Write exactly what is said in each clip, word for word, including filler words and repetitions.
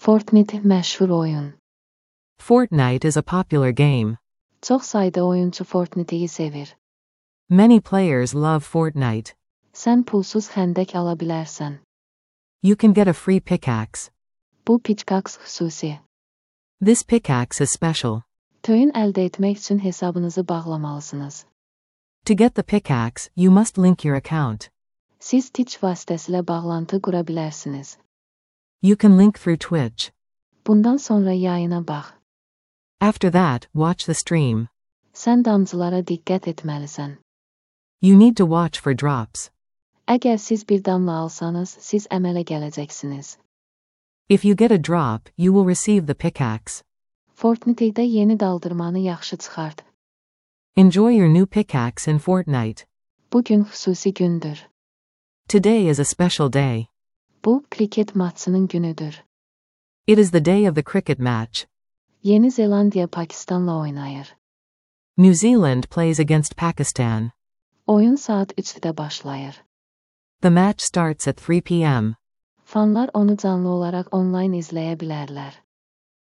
Fortnite məşhur oyun. Fortnite is a popular game. Çox sayda oyuncu Fortnite'i sevir. Many players love Fortnite. Sən pulsuz xəndək ala bilərsən. You can get a free pickaxe. Bu pickaxe xüsusi. This pickaxe is special. Töyün əldə etmək üçün hesabınızı bağlamalısınız. To get the pickaxe, you must link your account. Siz Twitch vasitəsilə bağlantı qura bilərsiniz. You can link through Twitch. Bundan sonra yayına bax. After that, watch the stream. Sən damcılara diqqət etməlisən. You need to watch for drops. Əgər siz bir damla alsanız, siz əmələ gələcəksiniz. If you get a drop, you will receive the pickaxe. Fortnite'də yeni daldırmanı yaxşı çıxart. Enjoy your new pickaxe in Fortnite. Bu gün xüsusi gündür. Today is a special day. Bu, kriket maçının günüdür. It is the day of the cricket match. Yeni Zelandiya Pakistanla oynayır. New Zealand plays against Pakistan. Oyun saat üçdə başlayır. The match starts at three p m Fanlar onu canlı olaraq online izləyə bilərlər.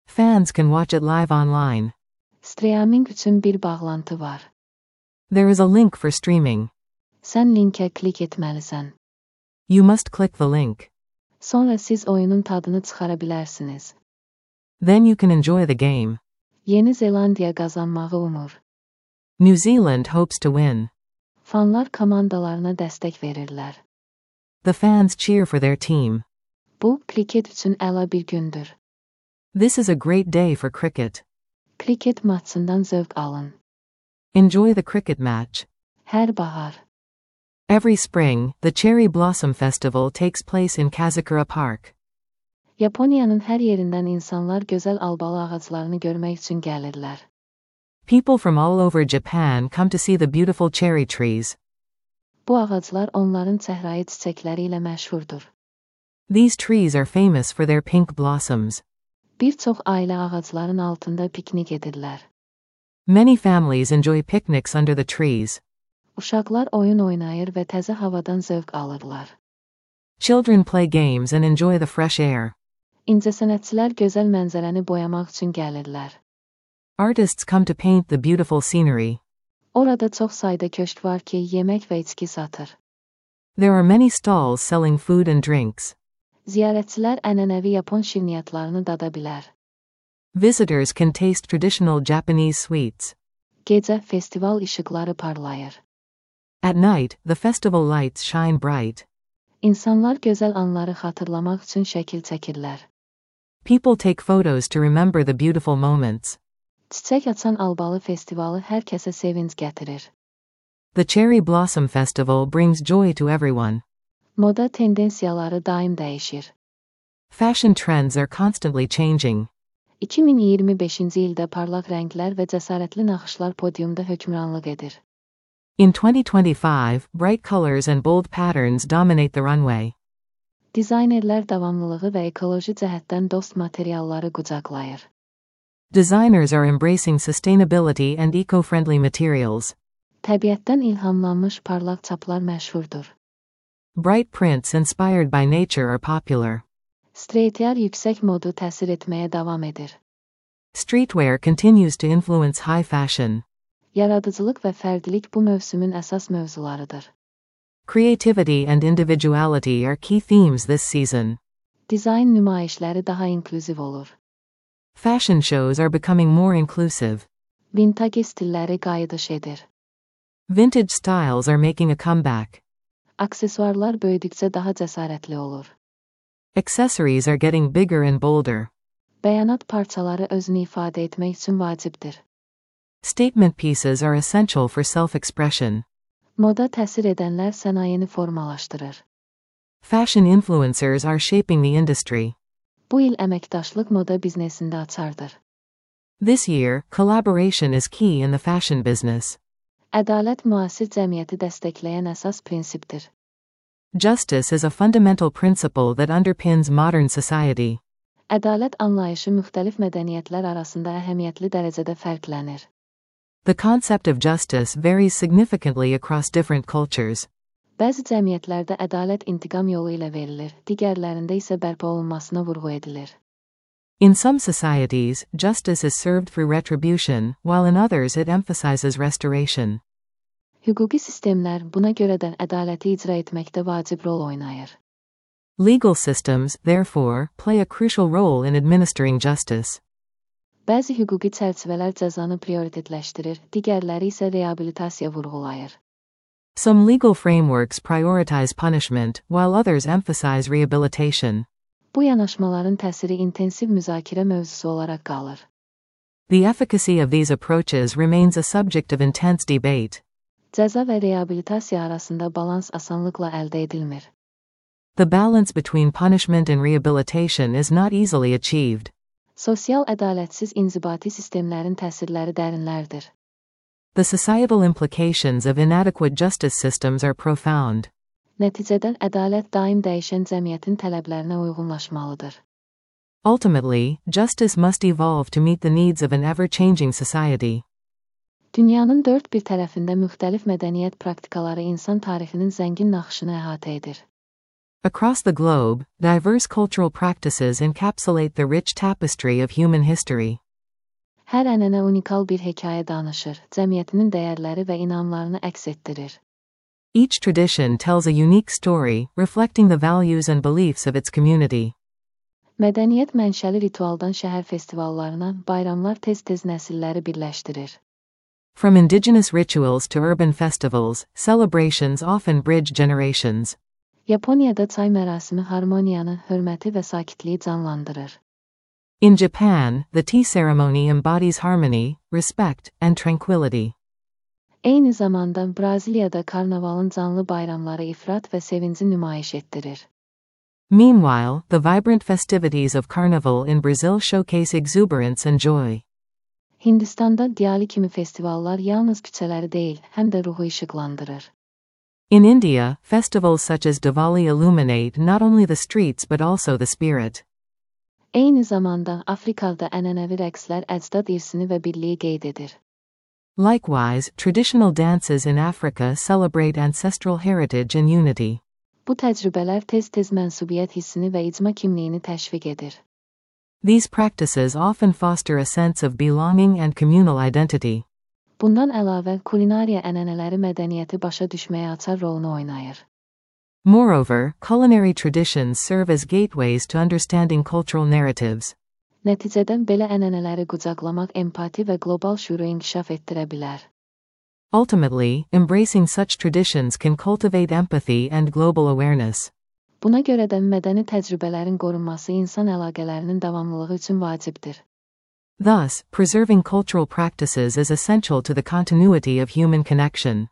Fans can watch it live online. Streaming üçün bir bağlantı var. There is a link for streaming. Sən linkə klik etməlisən. You must click the link. Sonra siz oyunun tadını çıxara bilərsiniz. Then you can enjoy the game. Yeni Zelandiya qazanmağı umur. New Zealand hopes to win. Fanlar komandalarına dəstək verirlər. The fans cheer for their team. Bu, kriket üçün əla bir gündür. This is a great day for cricket. Kriket maçından zövq alın. Enjoy the cricket match. Hər bahar. Every spring, the Cherry Blossom Festival takes place in Kazakura Park. Yaponiyanın hər yerindən insanlar gözəl albalı ağaclarını görmək üçün gəlirlər. People from all over Japan come to see the beautiful cherry trees. Bu ağaclar onların çəhrayı çiçəkləri ilə məşhurdur. These trees are famous for their pink blossoms. Bir çox ailə ağacların altında piknik edirlər. Many families enjoy picnics under the trees. Uşaqlar oyun oynayır və təzə havadan zövq alırlar. Children play games and enjoy the fresh air. İncəsənətçilər gözəl mənzərəni boyamaq üçün gəlirlər. Artists come to paint the beautiful scenery. Orada çox sayda köşk var ki, yemək və içki satır. There are many stalls selling food and drinks. Ziyarətçilər ənənəvi Yapon şirniyyatlarını dada bilər. Visitors can taste traditional Japanese sweets. Gecə festival işıqları parlayır. At night, the festival lights shine bright. İnsanlar gözəl anları xatırlamaq üçün şəkil çəkirlər. People take photos to remember the beautiful moments. Çiçək açan albalı festivalı hər kəsə sevinc gətirir. The Cherry Blossom Festival brings joy to everyone. Moda tendensiyaları daim dəyişir. Fashion trends are constantly changing. iki min iyirmi beşinci ildə parlaq rənglər və cəsarətli naxışlar podiumda hökmranlıq edir. In twenty twenty-five, bright colors and bold patterns dominate the runway. Dizaynerlər davamlılığı və ekoloji cəhətdən dost materialları qucaqlayır. Designers are embracing sustainability and eco-friendly materials. Təbiətdən ilhamlanmış parlaq çaplar məşhurdur. Bright prints inspired by nature are popular. Streetwear yüksək modu təsir etməyə davam edir. Streetwear continues to influence high fashion. Yaradıcılıq və fərdilik bu mövsümün əsas mövzularıdır. Creativity and individuality are key themes this season. Dizayn nümayişləri daha inklüziv olur. Fashion shows are becoming more inclusive. Vintage stilləri qayıdış edir. Vintage styles are making a comeback. Aksesuarlar böyüdükcə daha cəsarətli olur. Accessories are getting bigger and bolder. Bəyanat parçaları özünü ifadə etmək üçün vacibdir. Statement pieces are essential for self-expression. Moda təsir edənlər sənayeni formalaşdırır. Fashion influencers are shaping the industry. Bu il əməkdaşlıq moda biznesində açardır. This year, collaboration is key in the fashion business. Ədalət müasir cəmiyyəti dəstəkləyən əsas prinsipdir. Justice is a fundamental principle that underpins modern society. Ədalət anlayışı müxtəlif mədəniyyətlər arasında əhəmiyyətli dərəcədə fərqlənir. The concept of justice varies significantly across different cultures. Bəzi cəmiyyətlərdə ədalət intiqam yolu ilə verilir, digərlərində isə bərpa olunmasına vurğu edilir. In some societies, justice is served through retribution, while in others it emphasizes restoration. Hüquqi sistemlər buna görə də ədaləti icra etməkdə vacib rol oynayır. Legal systems, therefore, play a crucial role in administering justice. Bəzi hüquqi çərçivələr cəzanı prioritetləşdirir, digərləri isə reabilitasiya vurğulayır. Some legal frameworks prioritize punishment, while others emphasize rehabilitation. Bu yanaşmaların təsiri intensiv müzakirə mövzusu olaraq qalır. The efficacy of these approaches remains a subject of intense debate. Cəza və reabilitasiya arasında balans asanlıqla əldə edilmir. The balance between punishment and rehabilitation is not easily achieved. Sosial ədalətsiz inzibati sistemlərin təsirləri dərinlərdir. The societal implications of inadequate justice systems are profound. Nəticədə ədalət daim dəyişən cəmiyyətin tələblərinə uyğunlaşmalıdır. Ultimately, justice must evolve to meet the needs of an ever-changing society. Dünyanın dörd bir tərəfində müxtəlif mədəniyyət praktikaları insan tarixinin zəngin naxışını əhatə edir. Across the globe, diverse cultural practices encapsulate the rich tapestry of human history. Hər ənənə unikal bir hekayə danışır, cəmiyyətinin dəyərləri və inamlarını əks etdirir. Each tradition tells a unique story, reflecting the values and beliefs of its community. Mədəniyyət mənşəli ritualdan şəhər festivallarına, bayramlar tez-tez nəsilləri birləşdirir. From indigenous rituals to urban festivals, celebrations often bridge generations. Yaponiyada çay mərasimi harmoniyanı, hörməti və sakitliyi canlandırır. In Japan, the tea ceremony embodies harmony, respect, and tranquility. Eyni zamanda Braziliyada karnavalın canlı bayramları ifrat və sevinci nümayiş etdirir. Meanwhile, the vibrant festivities of Carnival in Brazil showcase exuberance and joy. Hindistanda Diyali kimi festivallar yalnız küçələri deyil, həm də ruhu işıqlandırır. In India, festivals such as Diwali illuminate not only the streets but also the spirit. Eyni zamanda Afrikada ənənəvi rəqslər əcdad irsini və birliyi qeyd edir. Likewise, traditional dances in Africa celebrate ancestral heritage and unity. Bu təcrübələr tez-tez mənsubiyyət hissini və icma kimliyini təşviq edir. These practices often foster a sense of belonging and communal identity. Bundan əlavə, kulinariya ənənələri mədəniyyəti başa düşməyə açar rolunu oynayır. Moreover, culinary traditions serve as gateways to understanding cultural narratives. Nəticədə belə ənənələri qucaqlamaq empati və qlobal şüuru inkişaf etdirə bilər. Ultimately, embracing such traditions can cultivate empathy and global awareness. Buna görə də mədəni təcrübələrin qorunması insan əlaqələrinin davamlılığı üçün vacibdir. Thus, preserving cultural practices is essential to the continuity of human connection.